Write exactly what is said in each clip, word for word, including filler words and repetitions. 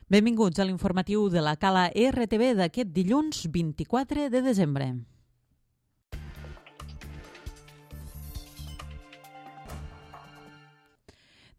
Benvinguts a l'informatiu de la Cala R T V d'aquest dilluns vint-i-quatre de desembre.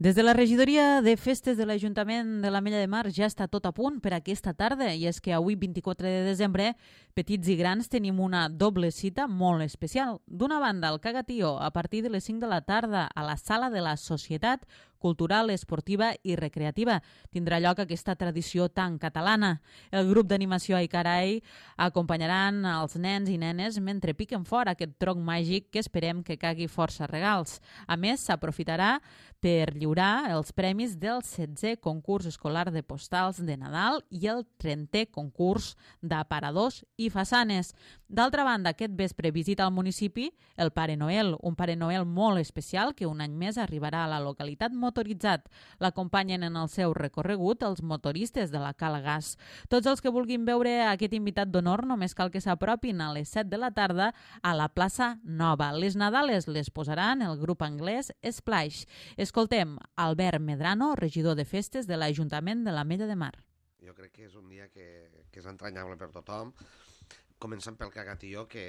Des de la regidoria de festes de l'Ajuntament de l'Ametlla de Mar ja està tot a punt per aquesta tarda i és que avui vint-i-quatre de desembre, petits i grans, tenim una doble cita molt especial. D'una banda, el Cagatió a partir de les cinc de la tarda a la Sala de la Societat Cultural, Esportiva i Recreativa. Tindrà lloc aquesta tradició tan catalana. El grup d'animació Aicarai acompanyaran els nens i nenes mentre piquen fora aquest tronc màgic que esperem que cagui força regals. A més, s'aprofitarà per lliurar els premis del setzè concurs escolar de postals de Nadal i el trentè concurs d'aparadors i façanes. D'altra banda, aquest vespre visita al municipi el Pare Noel, un Pare Noel molt especial que un any més arribarà a la localitat motoritzat. L'acompanyen en el seu recorregut els motoristes de la Cala Gas. Tots els que vulguin veure aquest invitat d'honor només cal que s'apropin a les set de la tarda a la plaça Nova. Les Nadales les posaran el grup anglès Splash. Escoltem Albert Medrano, regidor de festes de l'Ajuntament de l'Ametlla de Mar. Jo crec que és un dia que, que és entranyable per tothom. Comencem pel Cagatió, que,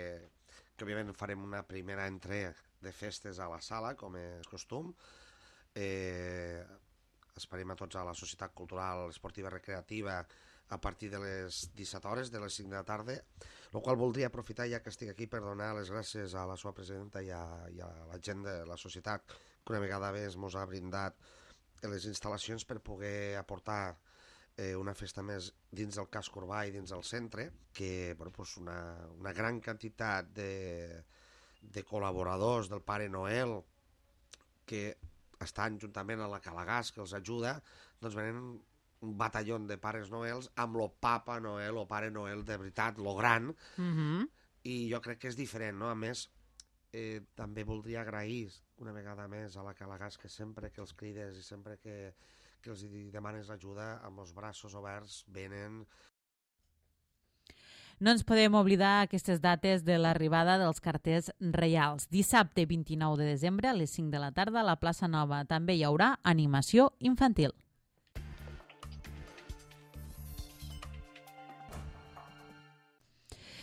que òbviament farem una primera entrega de festes a la sala, com és costum. Eh, esperem a tots a la Societat Cultural, Esportiva i Recreativa a partir de les disset hores, de les cinc de la tarda, el qual voldria aprofitar, ja que estic aquí, per donar les gràcies a la seva presidenta i a, i a la gent de la societat, que una vegada més ens ha brindat les instal·lacions per poder aportar eh, una festa més dins del casc urbà i dins del centre, que bueno, pues una, una gran quantitat de, de col·laboradors del Pare Noel que estan juntament a la Cala Gas, que els ajuda, doncs venen un batalló de Pares Noels amb lo Papa Noel o Pare Noel de veritat, lo gran, Mm-hmm. i jo crec que és diferent, no? A més, eh, també voldria agrair una vegada més a la Cala Gas que sempre que els crides i sempre que, que els demanes ajuda, amb els braços oberts venen. No ens podem oblidar aquestes dates de l'arribada dels carters reials. Dissabte vint-i-nou de desembre a les cinc de la tarda a la plaça Nova. També hi haurà animació infantil.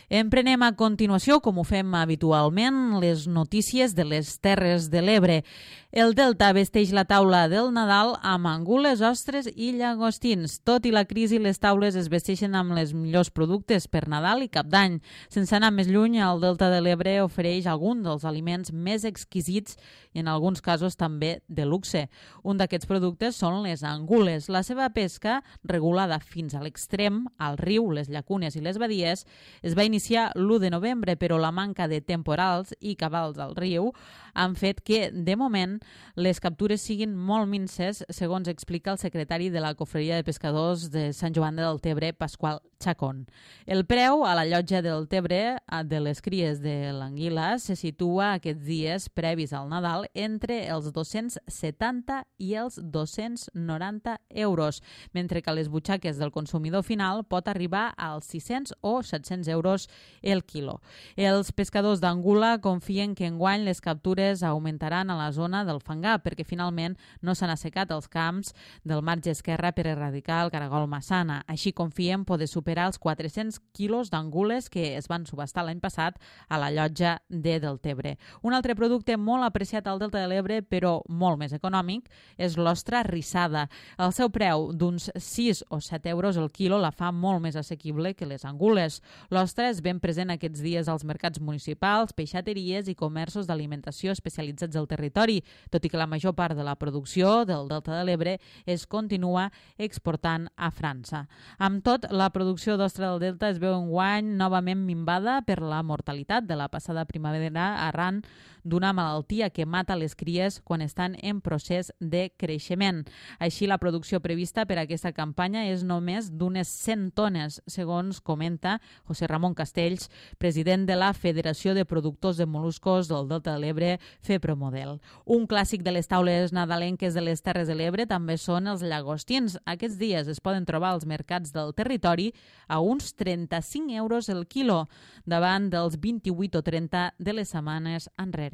Emprenem a continuació, com ho fem habitualment, les notícies de les Terres de l'Ebre. El Delta vesteix la taula del Nadal amb angules, ostres i llagostins. Tot i la crisi, les taules es vesteixen amb les millors productes per Nadal i Cap d'Any. Sense anar més lluny, el Delta de l'Ebre ofereix algun dels aliments més exquisits i en alguns casos també de luxe. Un d'aquests productes són les angules. La seva pesca, regulada fins a l'extrem, al riu, les llacunes i les badies, es va iniciar l'u de novembre, però la manca de temporals i cabals al riu han fet que, de moment, les captures siguin molt minces, segons explica el secretari de la Cofreria de Pescadors de Sant Joan de Deltebre, Pasqual Chacón. El preu a la llotja del Tebre de les cries de l'anguila se situa aquests dies previs al Nadal entre els dos-cents setanta i els dos-cents noranta euros, mentre que a les butxaques del consumidor final pot arribar als sis-cents o set-cents euros el quilo. Els pescadors d'Angula confien que enguany les captures augmentaran a la zona del Fangar perquè finalment no s'han assecat els camps del marge esquerre per erradicar el caragol massana. Així confien poder superar els quatre-cents quilos d'angules que es van subhastar l'any passat a la llotja de Deltebre. Un altre producte molt apreciat al Delta de l'Ebre, però molt més econòmic, és l'ostra rissada. El seu preu d'uns sis o set euros el quilo la fa molt més assequible que les angules. L'ostra és ben present aquests dies als mercats municipals, peixateries i comerços d'alimentació especialitzats al territori, tot i que la major part de la producció del Delta de l'Ebre es continua exportant a França. Amb tot, la producció d'ostra del Delta es veu enguany novament minvada per la mortalitat de la passada primavera arran d'una malaltia que mata les cries quan estan en procés de creixement. Així, la producció prevista per a aquesta campanya és només d'unes cent tones, segons comenta José Ramon Castells, president de la Federació de Productors de Moluscos del Delta de l'Ebre, FEPROMODEL. Un clàssic de les taules nadalenques de les Terres de l'Ebre també són els llagostins. Aquests dies es poden trobar als mercats del territori a uns trenta-cinc euros el quilo, davant dels vint-i-vuit o trenta de les setmanes enrere.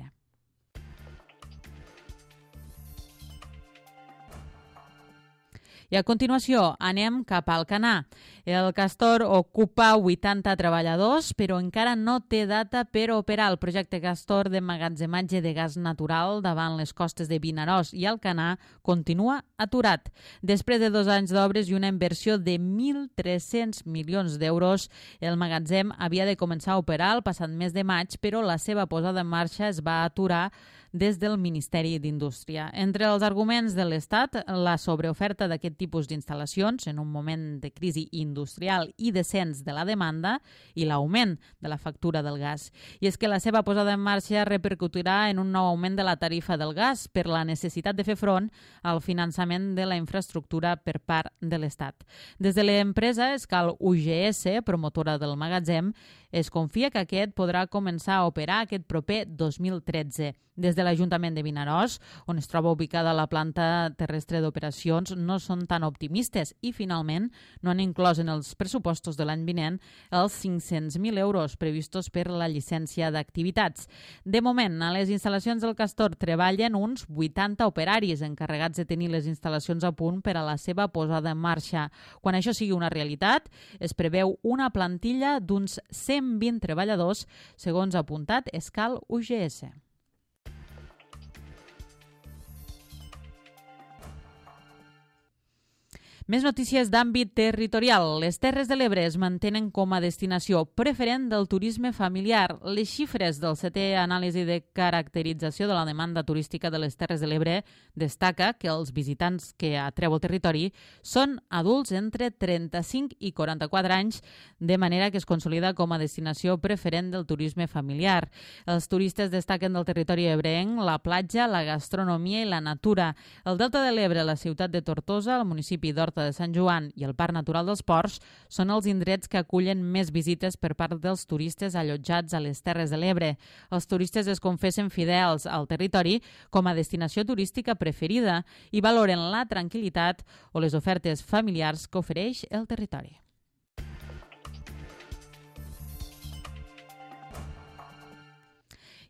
I a continuació anem cap al Canà. El castor ocupa vuitanta treballadors, però encara no té data per operar el projecte castor d'emmagatzematge de gas natural davant les costes de Vinaròs i Alcanar continua aturat. Després de dos anys d'obres i una inversió de mil tres-cents milions d'euros, el magatzem havia de començar a operar el passat mes de maig, però la seva posada en marxa es va aturar des del Ministeri d'Indústria. Entre els arguments de l'Estat, la sobreoferta d'aquest tipus d'instal·lacions en un moment de crisi industrial i descens de la demanda i l'augment de la factura del gas. I és que la seva posada en marxa repercutirà en un nou augment de la tarifa del gas per la necessitat de fer front al finançament de la infraestructura per part de l'Estat. Des de l'empresa Escal U G S, promotora del magatzem, es confia que aquest podrà començar a operar aquest proper dos mil tretze. Des de l'Ajuntament de Vinaròs, on es troba ubicada la planta terrestre d'operacions, no són tan optimistes i, finalment, no han inclòs en els pressupostos de l'any vinent els cinc-cents mil euros previstos per la llicència d'activitats. De moment, a les instal·lacions del Castor treballen uns vuitanta operaris encarregats de tenir les instal·lacions a punt per a la seva posada en marxa. Quan això sigui una realitat, es preveu una plantilla d'uns cent vint treballadors, segons ha apuntat Escal U G S. Més notícies d'àmbit territorial. Les Terres de l'Ebre es mantenen com a destinació preferent del turisme familiar. Les xifres del setè anàlisi de caracterització de la demanda turística de les Terres de l'Ebre destaca que els visitants que atreu el territori són adults entre trenta-cinc i quaranta-quatre anys, de manera que es consolida com a destinació preferent del turisme familiar. Els turistes destaquen del territori ebrenc la platja, la gastronomia i la natura. El Delta de l'Ebre, la ciutat de Tortosa, el municipi d'Horta de Sant Joan i el Parc Natural dels Ports són els indrets que acullen més visites per part dels turistes allotjats a les Terres de l'Ebre. Els turistes es confessen fidels al territori com a destinació turística preferida i valoren la tranquil·litat o les ofertes familiars que ofereix el territori.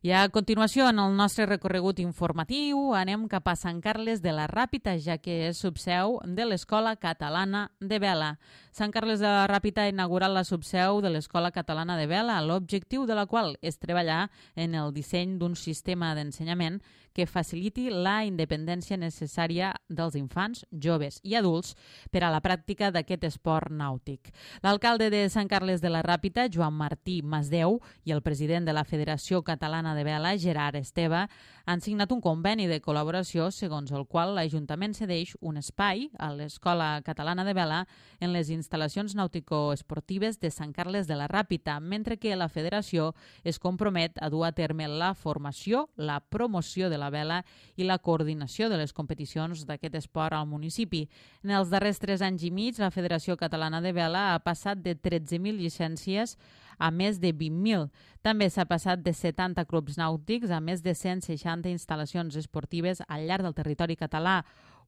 I a continuació, en el nostre recorregut informatiu, anem cap a Sant Carles de la Ràpita, ja que és subseu de l'Escola Catalana de Vela. Sant Carles de la Ràpita ha inaugurat la subseu de l'Escola Catalana de Vela, l'objectiu de la qual és treballar en el disseny d'un sistema d'ensenyament que faciliti la independència necessària dels infants, joves i adults per a la pràctica d'aquest esport nàutic. L'alcalde de Sant Carles de la Ràpita, Joan Martí Masdeu, i el president de la Federació Catalana de Vela, Gerard Esteve, han signat un conveni de col·laboració segons el qual l'Ajuntament cedeix un espai a l'Escola Catalana de Vela en les instal·lacions nàutico-esportives de Sant Carles de la Ràpita, mentre que la Federació es compromet a dur a terme la formació, la promoció de la vela i la coordinació de les competicions d'aquest esport al municipi. En els darrers tres anys i mig, la Federació Catalana de Vela ha passat de tretze mil llicències a més de vint mil. També s'ha passat de setanta clubs nàutics a més de cent seixanta instal·lacions esportives al llarg del territori català,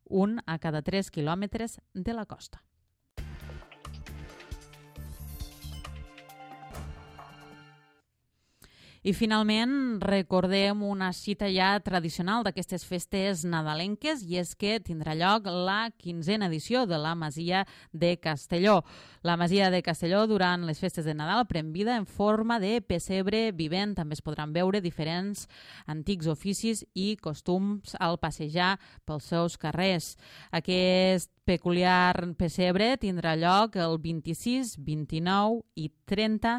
un a cada tres quilòmetres de la costa. I finalment recordem una cita ja tradicional d'aquestes festes nadalenques i és que tindrà lloc la quinzena edició de la Masia de Castelló. La Masia de Castelló durant les festes de Nadal pren vida en forma de pessebre vivent. També es podran veure diferents antics oficis i costums al passejar pels seus carrers. Aquest peculiar pessebre tindrà lloc el vint-i-sis, vint-i-nou i trenta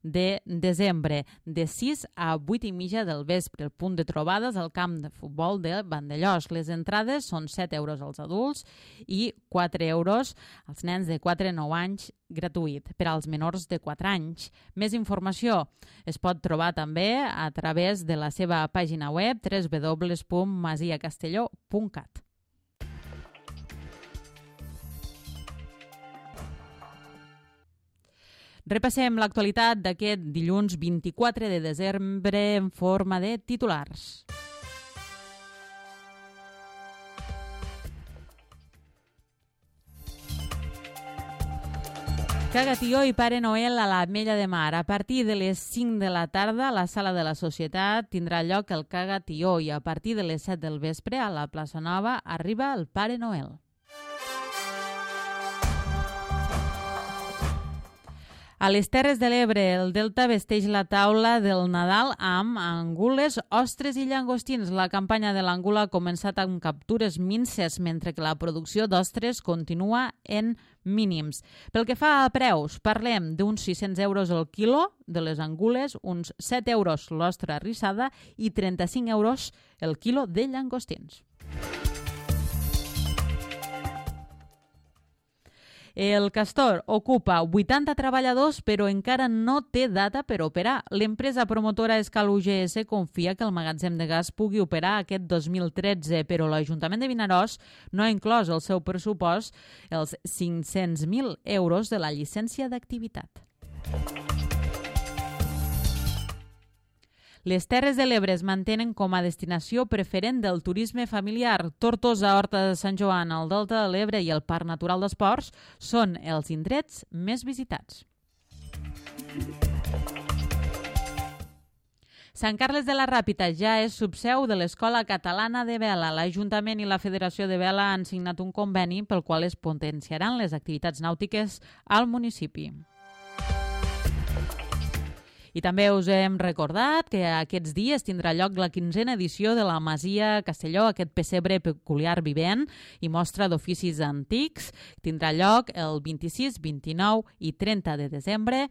de desembre, de sis a vuit i mitja del vespre. El punt de trobades al camp de futbol de Vandellòs. Les entrades són set euros als adults i quatre euros als nens de quatre a nou anys, gratuït per als menors de quatre anys. Més informació es pot trobar també a través de la seva pàgina web w w w punt masia castelló punt cat. Repassem l'actualitat d'aquest dilluns vint-i-quatre de desembre en forma de titulars. Cagatió i Pare Noel a l'Ametlla de Mar. A partir de les cinc de la tarda, a la Sala de la Societat tindrà lloc el Cagatió i a partir de les set del vespre, a la plaça Nova, arriba el Pare Noel. A les Terres de l'Ebre, el Delta vesteix la taula del Nadal amb angules, ostres i llangostins. La campanya de l'angula ha començat amb captures minces, mentre que la producció d'ostres continua en mínims. Pel que fa a preus, parlem d'uns sis-cents euros el quilo de les angules, uns set euros l'ostra rissada i trenta-cinc euros el quilo de llangostins. El Castor ocupa vuitanta treballadors, però encara no té data per operar. L'empresa promotora Escal U G S confia que el magatzem de gas pugui operar aquest dos mil tretze, però l'Ajuntament de Vinaròs no ha inclòs el seu pressupost els cinc-cents mil euros de la llicència d'activitat. Les Terres de l'Ebre es mantenen com a destinació preferent del turisme familiar. Tortosa, Horta de Sant Joan, el Delta de l'Ebre i el Parc Natural d'Esports són els indrets més visitats. Sant Carles de la Ràpita ja és subseu de l'Escola Catalana de Vela. L'Ajuntament i la Federació de Vela han signat un conveni pel qual es potenciaran les activitats nàutiques al municipi. I també us hem recordat que aquests dies tindrà lloc la quinzena edició de la Masia Castelló, aquest pessebre peculiar vivent i mostra d'oficis antics. Tindrà lloc el vint-i-sis, vint-i-nou i trenta de desembre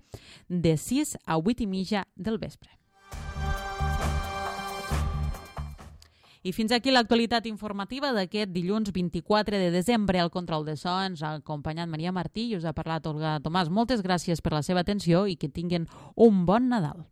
de sis a vuit i mitja del vespre. I fins aquí l'actualitat informativa d'aquest dilluns vint-i-quatre de desembre. Al control de so ens ha acompanyat Maria Martí i us ha parlat Olga Tomàs. Moltes gràcies per la seva atenció i que tinguin un bon Nadal.